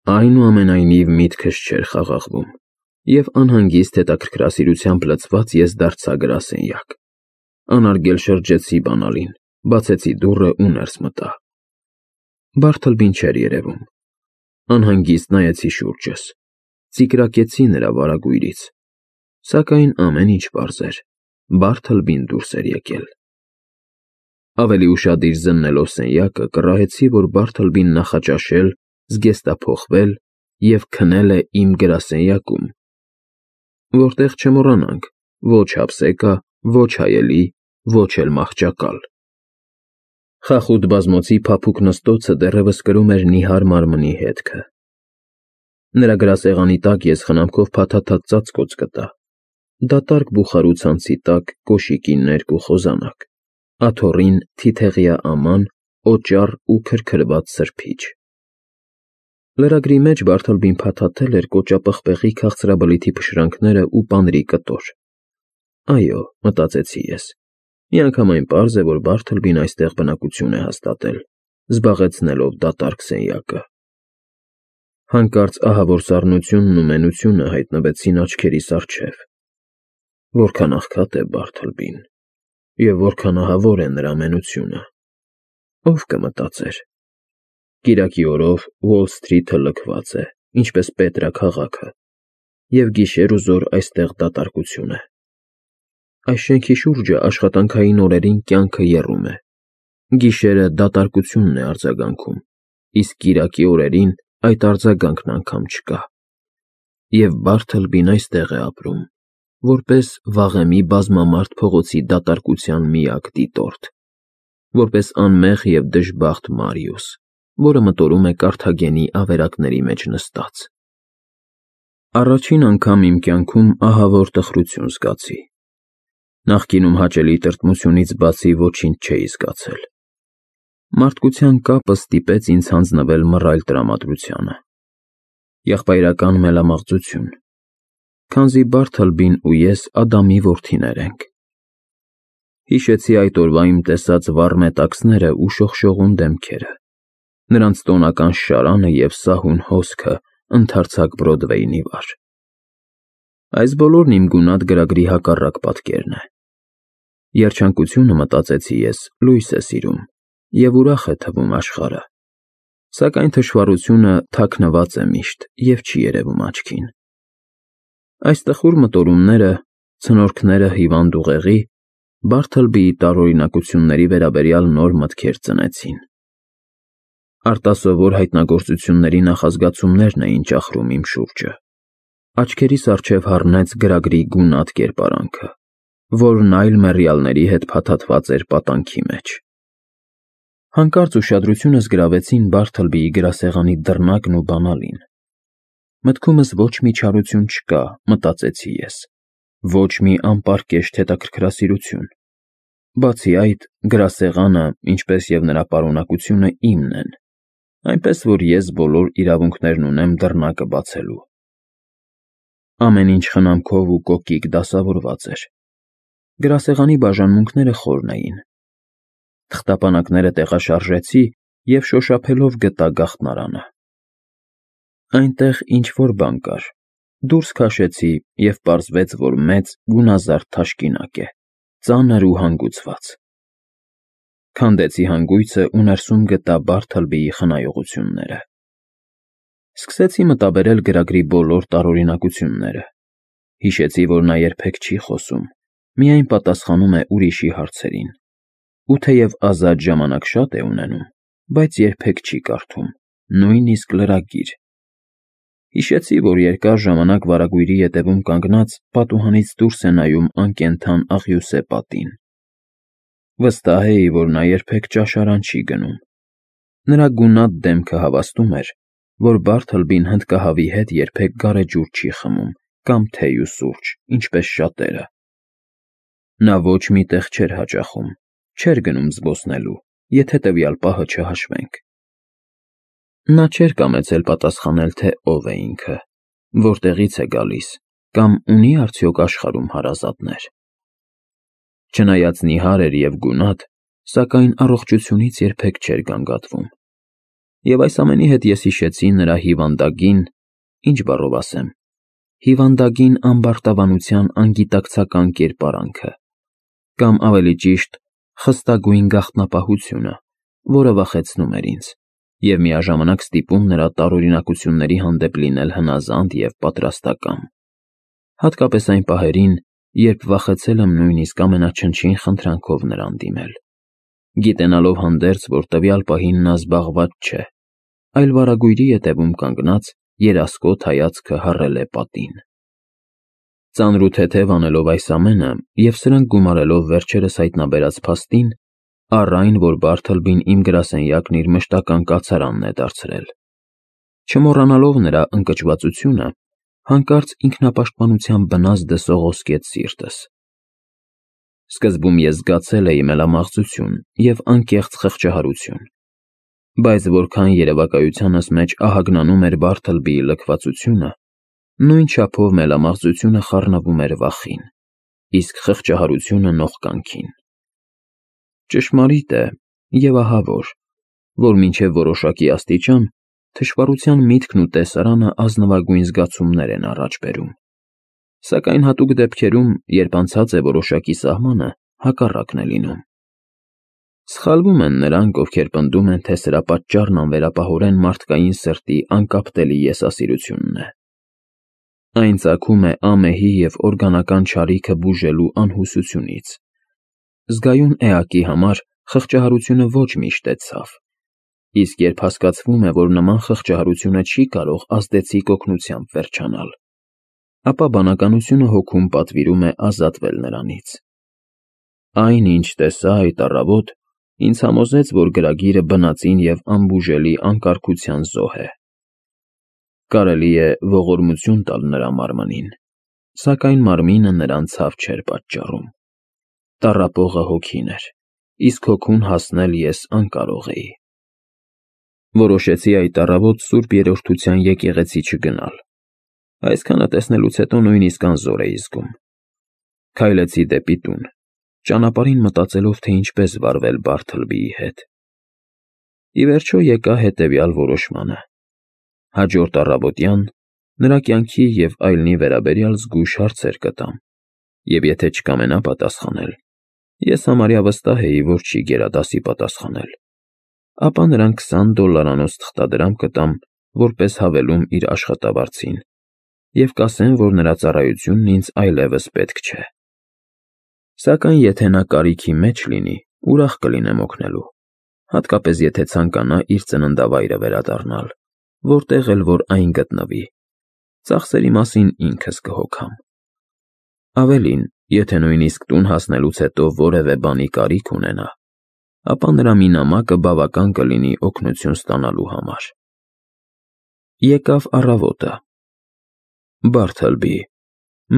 Այնուամենայնիվ միտքս չէր խաղաղվում, և անհանգիստ հետաքրքրասիրությամբ լցված ես դարձա գրասենյակ, անարգել շրջեցի բանալին, բացեցի դուռը ու ներս մտա։ Բարթլբին չէր երևում։ Անհանգիստ նայեցի շուրջս, ծիկրակեցի նրա վարագույրից, սակայն ամեն ինչ պարզ էր, Բարթլբին դուրս էր եկել։ Ավելի ուշադիր զննելով սենյակը, կռահեցի, որ Բարթլբին նախաճաշել, զգեստափոխվել և քնել է իմ գրասենյակում, որտեղ չմոռանանք, ոչ հափսեկա, ոչ հայելի, ոչ էլ մահճակալ։ Խախուտ բազմոցի փափուկ նստոցը դեռևս կրում էր նիհար մարմնի հետքը։ Նրա գրասեղանի տակ ես խնամքով փաթաթած ծածկոց գտա, դատարկ բուխարու ցանցի տակ կոշիկի ներկու խոզանակ, աթոռին թիթեղյա աման, օճառ ու քրքրված սրբիչ։ Լրագրի մեջ Բարթլբին փաթաթել էր կոճապղպեղի քաղցրաբլիթի փշրանքները ու պանրի կտոր։ Այո, մտածեցի ես, միանգամայն պարզ է, որ Բարթլբին այստեղ բնակություն է հաստատել, զբաղեցնելով դատարկ սենյակը։ Հանկարծ ահավոր սառնությունն ու մենությունը հայտնվեցին աչքերիս առջև։ Որքան աղքատ է Բարթլբին, և որքան ահավոր է նրա մենությունը։ Ով կմտածեր։ Կիրակի օրով Ուոլ Սթրիթը լքված է, ինչպես Պետրա քաղաքը, և գիշեր ու զօր այստեղ դատարկություն է։ Այս շենքի շուրջը աշխատանքային օրերին կյանքը եռում է, գիշերը դատարկությունն է արձագանքում, իսկ կիրակի օրերին այդ արձագանքն անգամ չկա։ Եվ Բարթլբին այստեղ է ապրում, որպես վաղեմի բազմամարդ փողոցի դատարկության միակ դիտորդ, որպես անմեղ և դժբախտ Մարիուս, որը մտորում է Կարթագենի ավերակների մեջ նստած։ Առաջին անգամ իմ կյանքում ահավոր տխրություն զգացի։ Նախկինում հաճելի տրտմությունից բացի ոչինչ չէի զգացել։ Մարդկության կապը ստիպեց ինձ հանձնվել մռայլ տրամադրությանը։ Եղբայրական մելամաղձություն, քանզի Բարթլբին ու ես Ադամի որդիներ ենք։ Հիշեցի այդ օրվա իմ տեսած վառ մետաքսները ու շողշողուն դեմքերը, նրանց տոնական շարանը և սահուն հոսքը ընդարձակ Բրոդվեյի վրա։ Այս բոլորն իմ գունատ գրագրի հակառակ պատկերն է։ Երջանկությունը, մտածեցի ես, լույս է սիրում և ուրախ է թվում աշխարհը, սակայն թշվառությունը թաքնված է միշտ և չի երևում աչքին։ Այս տխուր մտորումները, ցնորքները հիվանդ ուղեղի, Բարթլբիի տարօրինակությունների վերաբերյալ նոր մտքեր ծնեցին։ Արտասովոր հայտնագործությունների նախազգացումներն էին ճախրում իմ շուրջը։ Աչքերիս առջև հառնեց գրագրի գունատ կերպարանքը, որն այլ մեռյալների հետ փաթաթված էր պատանքի մեջ։ Հանկարծ ուշադրությունս գրավեցին Բարթլբիի գրասեղանի դռնակն ու բանալին։ Մտքումս ոչ մի չարություն չկա, մտածեցի ես, ոչ մի անպարկեշտ հետաքրքրասիրություն։ Բացի այդ, գրասեղանը, ինչպես և նրա պարունակությունը իմն են, այնպես որ ես բոլոր իրավունքներն ունեմ դռնակը բացելու։ Ամեն ինչ խնամքով ու կոկիկ դասավորված էր։ Գրասեղանի բաժանմունքները խորն էին։ Թղթապանակները տեղաշարժեցի և շոշափելով գտա գաղտնարանը։ Այնտեղ ինչ-որ բան կար, դուրս քաշեցի և պարզվեց, որ մեծ, գունազարդ թաշկինակ է, ծանր ու հանգուցված։ Քանդեցի հանգույցը ու ներսում գտա Բարթլբիի խնայողությունները։ Սկսեցի մտաբերել գրագրի բոլոր տարօրինակությունները։ Հիշեցի, որ նա երբեք չի խոսում, միայն պատասխանում է ուրիշի հարցերին, ու թեև ազատ ժամանակ շատ է ունենում, բայց երբեք չի կարդում, նույնիսկ լրագիր։ Հիշեցի, որ երկար ժամանակ վարագույրի ետևում կանգնած պատուհանից դուրս է նայում անկենդան աղյուսե պատին։ Վստահ էի, որ նա երբեք ճաշարան չի գնում։ Նրա գունատ դեմքը հավաստում էր, որ Բարթլբին հնդկահավի հետ երբեք գարեջուր չի խմում կամ թեյ ու սուրճ, ինչպես շատերը։ Նա ոչ մի տեղ չէր հաճախում, չէր գնում զբոսնելու, եթե տվյալ պահը չհաշվենք։ Նա չէր կամեցել պատասխանել, թե ով է ինքը, որտեղից է գալիս կամ ունի արդյոք աշխարհում հարազատներ։ Չնայած նիհար էր և գունատ, սակայն առողջությունից երբեք չէր գանգատվում։ Եվ այս ամենի հետ ես հիշեցի նրա հիվանդագին, ինչ բառով ասեմ, հիվանդագին ամբարտավանության անգիտակցական կերպարանքը, կամ ավելի ճիշտ, խստագույն գաղտնապահությունը, որը վախեցնում էր ինձ, և միաժամանակ ստիպում նրա տարօրինակությունների հանդեպ լինել հնազանդ և պատրաստակամ, հատկապես այն պահերին, երբ վախեցել եմ նույնիսկ ամենաչնչին խնդրանքով նրան դիմել, գիտենալով հանդերձ, որ տվյալ պահին նա զբաղված չէ, այլ վարագույրի ետևում կանգնած երասկոտ հայացքը հառել է պատին։ Ծանրութեթև անելով այս ամենը և սրանք գումարելով վերջերս հայտնաբերած փաստին, առ այն, որ Բարթլբին իմ գրասենյակն իր մշտական կացարանն է դարձրել, չմոռանալով նրա ընկճվածությունը, հանկարծ ինքնապաշտպանության բնազդը սողոսկեց սիրտս։ Սկզբում ես զգացել էի մելամաղձություն և անկեղծ խղճահարություն, բայց որքան երևակայությանս մեջ ահագնանում էր Բարթլբիի լքվածությունը, նույն չափով մելամաղձությունը խառնվում էր վախին, իսկ խղճահարությունը նողկանքին։ Ճշմարիտ է, և ահա որ մինչև որոշակի աստիճան թշվառության միտքն ու տեսարանը ազնվագույն զգացումներ են առաջ բերում, սակայն հատուկ դեպքերում, երբ անցած է որոշակի սահմանը, հակառակն է լինում։ Սխալվում են նրանք, ովքեր պնդում են, թե սրա պատճառն անվերապահորեն մարդկային սրտի անկապտելի եսասիրությունն է։ Այն ծագում է ամեհի և օրգանական չարիքը բուժելու անհուսությունից։ Զգայուն էակի համար խղճահարությունը ոչ միշտ է ցավ, իսկ երբ հասկացվում է, որ նման խղճահարությունը չի կարող ազդեցիկ օգնությամբ վերջանալ, ապա բանականությունը հոգում պատվիրում է ազատվել նրանից։ Այն, ինչ տեսա այդ առավոտ, ինձ համոզեց, որ գրագիրը բնածին և անբուժելի անկարգության զոհ է։ Կարելի է ողորմություն տալ նրա մարմնին, սակայն մարմինը նրան ցավ չէր պատճառում։ Տառապողը հոգին էր, իսկ հոգուն հասնել ես անկարող էի։ Որոշեցի այդ առավոտ Սուրբ Երրորդության եկեղեցի չգնալ։ Այսքանը տեսնելուց հետո նույնիսկ անզոր էի զգում։ Քայլեցի դեպի տուն, ճանապարհին մտածելով, թե ինչպես վարվել Բարթլբիի հետ։ Ի վերջո եկա հետևյալ որոշմանը. հաջորդ առավոտյան նրա կյանքի և այլնի վերաբերյալ զգույշ հարցեր կտամ, և եթե չկամենա պատասխանել, ես համարյա վստահ էի, որ չի գերադասի պատասխանել, ապա նրան $20 թղթադրամ կտամ որպես հավելում իր աշխատավարձին և կասեմ, որ նրա ծառայությունն ինձ այլևս պետք չէ։ Սակայն եթե նա կարիքի մեջ լինի, ուրախ կլինեմ օգնելու, հատկապես եթե ցանկանա իր ծննդավայրը վերադառնալ, որտեղ էլ որ այն գտնվի, ծախսերի մասին ինքս կհոգամ։ Ավելին, եթե նույնիսկ տուն հասնելուց հետո որևէ բանի կարիք ունենա, ապա նրա մի նամակը բավական կլինի օգնություն ստանալու համար։ Եկավ առավոտը։ Բարթլբի,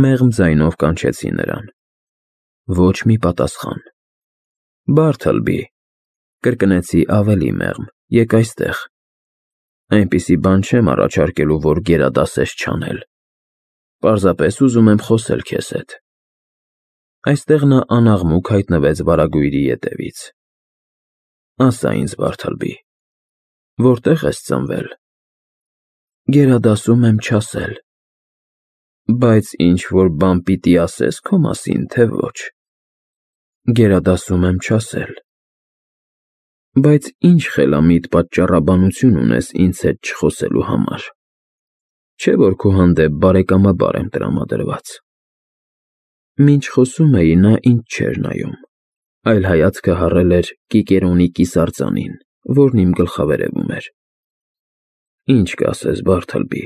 մեղմ ձայնով կանչեցի նրան։ Ոչ մի պատասխան։ Բարթլբի, կրկնեցի ավելի մեղմ, եկ այստեղ։ Այնպիսի բան չեմ առաջարկելու, որ գերադասես չանել։ Պարզապես ուզում եմ խոսել քեզ հետ։ Այստեղ նա անաղմուկ հայտնվեց վարագույրի ետևից։ Ասա ինձ, Բարթլբի, որտե՞ղ ես ծնվել։ Գերադասում եմ չասել։ Բայց ինչ-որ բան պիտի ասես քո մասին, թե ոչ։ Գերադասում եմ չասել։ Բայց ինչ խելամիտ պատճառաբանություն ունես ինձ հետ չխոսելու համար։ Չէ՞ որ քո հանդեպ բարեկամաբար եմ տրամադրված։ Մինչ խոսում էի, նա ինձ չէր նայում, այլ հայացքը հառել էր Կիկերոնի կիսարձանին, որն իմ գլխավերևում էր։ Ինչ կասես, Բարթլբի։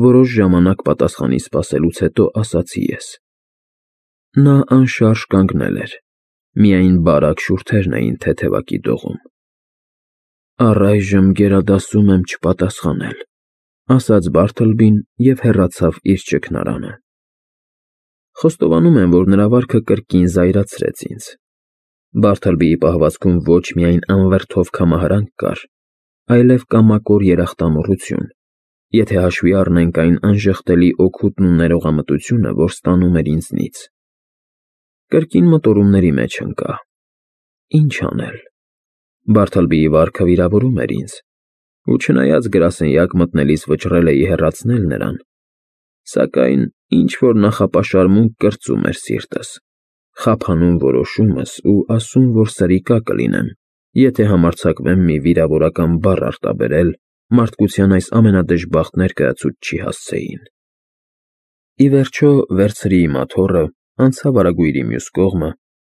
Որոշ ժամանակ պատասխանի սպասելուց հետո ասացի ես։ Նա անշարժ կանգնել էր, միայն բարակ շուրթերն էին թեթևակի դողում։ Առայժմ գերադասում եմ չպատասխանել, ասաց Բարթլբին և հեռացավ իր ճգնարանը։ Խոստովանում եմ, որ նրա վարքը կրկին զայրացրեց ինձ։ Բարթլբիի պահվածքում ոչ միայն անվրդով կամահարանք կար, այլև կամակոր երախտամոռություն, եթե հաշվի առնենք այն անժխտելի օգուտն ու ներողամտությունը, որ ստանում էր ինձնից։ Կրկին մտորումների մեջ ընկա։ Ինչ անել։ Բարթլբիի վարքը վիրավորում էր ինձ, ու չնայած գրասենյակ մտնելիս վճռել էի հեռացնել նրան, սակայն ինչ-որ նախապաշարմունք կրծում էր սիրտս, խափանում որոշումս ու ասում, որ սրիկա կլինեմ, եթե համարձակվեմ մի վիրավորական բառ արտաբերել մարդկության այս ամենադժբախտ ներկայացուցչի հասցեին։ Ի վերջո վերցրի իմ աթոռը, անցա վարագույրի մյուս կողմը,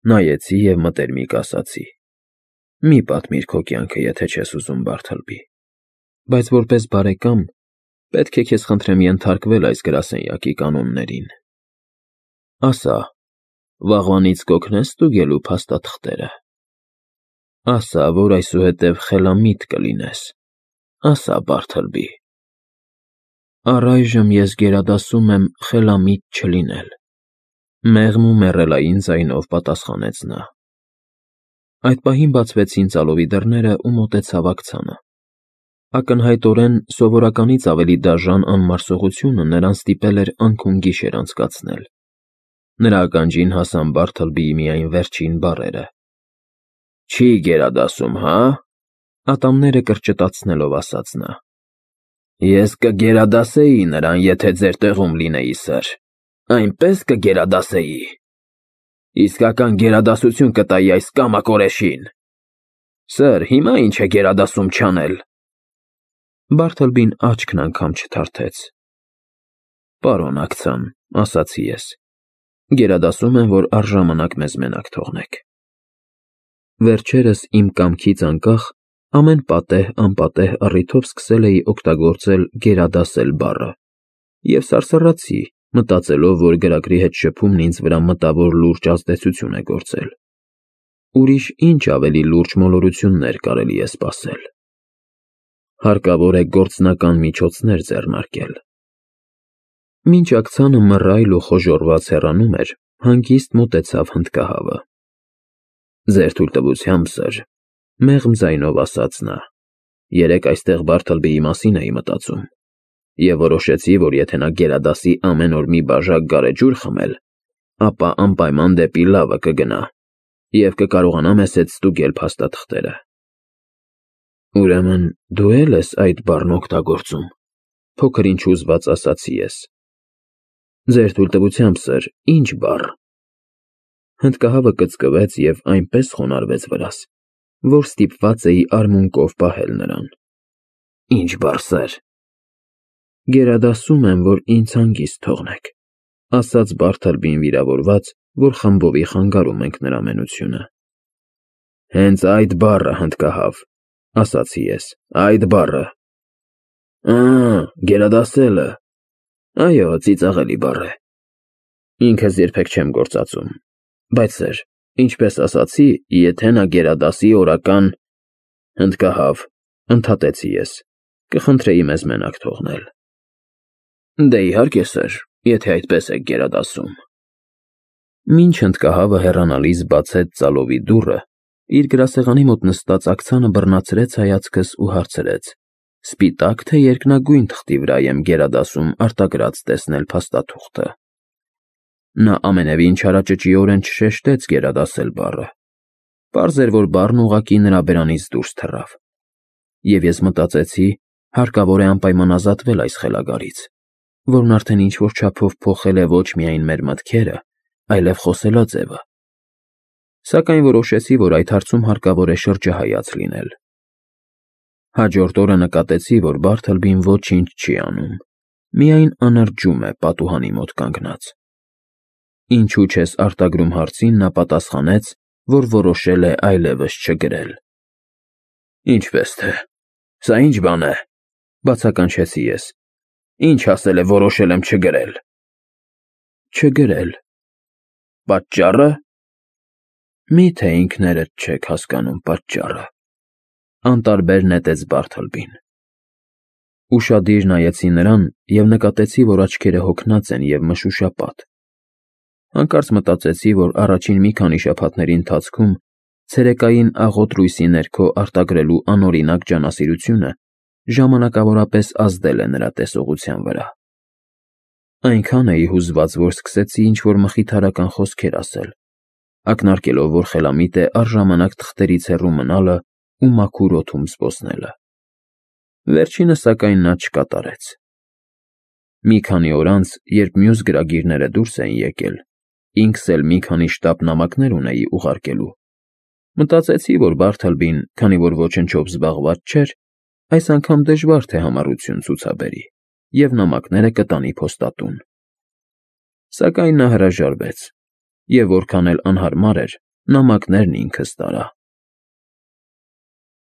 նայեցի և մտերմիկ ասացի. «Մի պատմիր քո կյանքը, եթե չես ուզում, Բարթլբի, բայց որպես բարեկամ պետք է քեզ խնդրեմ ենթարկվել այս գրասենյակի կանոններին։ Ասա, վաղվանից կօգնե՞ս ստուգելու փաստաթղթերը։ Ասա, որ այսուհետև խելամիտ կլինես։ Ասա, Բարթլբի»։ Առայժմ ես գերադասում եմ խելամիտ չլինել, մեղմ ու մեռելային ձայնով պատասխանեց նա։ Այդ պահին բացվեցին ծալովի դռները ու մոտեցավ աքցանը։ Ակնհայտորեն սովորականից ավելի դաժան անմարսողությունը նրան ստիպել էր անքուն գիշեր անցկացնել։ Նրա ականջին հասան Բարթլբիի միայն վերջին բառերը. «Չի գերադասում, հա»։ Ատամները կրճտացնելով ասաց նա. «Ես կգերադասեի նրան, եթե ձեր տեղում լինեի, սըր, այնպես կգերադասեի։ Իսկական գերադասություն կտայի այս կամակորեշին։ Սըր, հիմա ինչ է գերադասում չանել»։ Բարթլբին աչքն անգամ չթարթեց։ «Պարոն աքցան», ասացի ես, «գերադասում եմ, որ առժամանակ մեզ մենակ թողնեք»։ Վերջերս իմ կամքից անկախ ամեն պատեհ-անպատեհ առիթով սկսել էի օգտագործել «գերադասել» բառը և սարսռացի, մտածելով, որ գրագրի հետ շփումն ինձ վրա մտավոր լուրջ ազդեցություն է գործել։ Ուրիշ ինչ ավելի լուրջ մոլորություններ կարելի է սպասել։ Հարկավոր է գործնական միջոցներ ձեռնարկել։ Մինչ աքցանը մռայլ ու խոժոռված հեռանում էր, հանգիստ մոտեցավ հնդկահավը։ «Ձեր թույլտվությամբ, սըր», մեղմ ձայնով ասաց նա, «երեկ այստեղ Բարթլբիի մասին էի մտածում և որոշեցի, որ եթե նա գերադասի ամեն օր մի բաժակ գարեջուր խմել, ապա անպայման դեպի լավը կգնա և կկարողանա մեզ հետ ստուգել փաստաթղթերը»։ «Ուրեմն դու էլ ես այդ բառն օգտագործում», փոքր-ինչ հուզված ասացի ես։ «Ձեր թույլտվությամբ, սըր, ի՞նչ բառ»։ Հնդկահավը կծկվեց և այնպես խոնարհվեց վրաս, որ ստիպված էի արմունկով պահել նրան։ «Ի՞նչ բառ, սըր»։ «Գերադասում եմ, որ ինձ հանգիստ թողնեք», ասաց Բարթլբին վիրավորված, որ խմբովի խանգարում ենք նրա ամենությունը։ «Հենց այդ բառը, հնդկահավ», ասացի ես, «այդ բառը»։ Գերադասելը։ Այո, ծիծաղելի բառ է։ Ինքս երբեք չեմ գործածում, բայց սըր, ինչպես ասացի, եթե նա գերադասի օրական… Հնդկահավ, ընդհատեցի ես, կխնդրեի մեզ մենակ թողնել։ Դե իհարկե, սըր, եթե այդպես եք գերադասում։ Մինչ հնդկահավը հեռանալիս բացեց ծալովի դուռը, իր գրասեղանի մոտ նստած աքցանը բռնացրեց հայացքս ու հարցրեց. «Սպիտա՞կ, թե երկնագույն թղթի վրա եմ գերադասում արտագրած տեսնել փաստաթուղթը»։ Նա ամենևին չարաճճիորեն չշեշտեց գերադասել բառը։ Պարզ էր, որ բառն ուղղակի նրա բերանից դուրս թռավ։ Եվ ես մտածեցի, հարկավոր է անպայման ազատվել այս խելագարից, որն արդեն ինչ-որ չափով փոխել է ոչ միայն մեր մտքերը, այլև խոսելաձևը։ Սակայն որոշեցի, որ այդ հարցում հարկավոր է շրջահայաց լինել։ Հաջորդ օրը նկատեցի, որ Բարթլբին ոչինչ չի անում, միայն անրջում է պատուհանի մոտ կանգնած։ «Ինչու չես արտագրում» հարցին նա պատասխանեց, որ որոշել է այլևս չգրել։ «Ինչպես թե, սա ի՞նչ բան է», բացականչեցի ես։ «Ինչ ասել է որոշել եմ չգրել»։ Չգրել։ Պատճառը։ Մի՞թե ինքներդ չեք հասկանում պատճառը։ Անտարբեր նետեց Բարթլբին։ Ուշադիր նայեցի նրան և նկատեցի, որ աչքերը հոգնած են և մշուշապատ։ Հանկարծ մտածեցի, որ առաջին մի քանի շաբաթների ընթացքում ցերեկային աղոտ լույսի ներքո արտագրելու անօրինակ ջանասիրությունը ժամանակավորապես ազդել է նրա տեսողության վրա։ Այնքան էի հուզված, որ սկսեցի ինչ-որ մխիթարական խոսքեր ասել, ակնարկելով, որ խելամիտ է առժամանակ թղթերից հեռու մնալը ու մաքուր օդում զբոսնելը։ Վերջինը, սակայն, նա չկատարեց։ Մի քանի օր անց, երբ մյուս գրագիրները դուրս էին եկել, ինքս էլ մի քանի շտապ նամակներ ունեի ուղարկելու, մտածեցի, որ Բարթլբին, քանի որ ոչնչով զբաղված չէր, այս անգամ դժվար թե համառություն ցուցաբերի և նամակները կտանի փոստատուն։ Սակայն նա հրաժարվեց, և որքան էլ անհարմար էր, նամակներն ինքս տարա։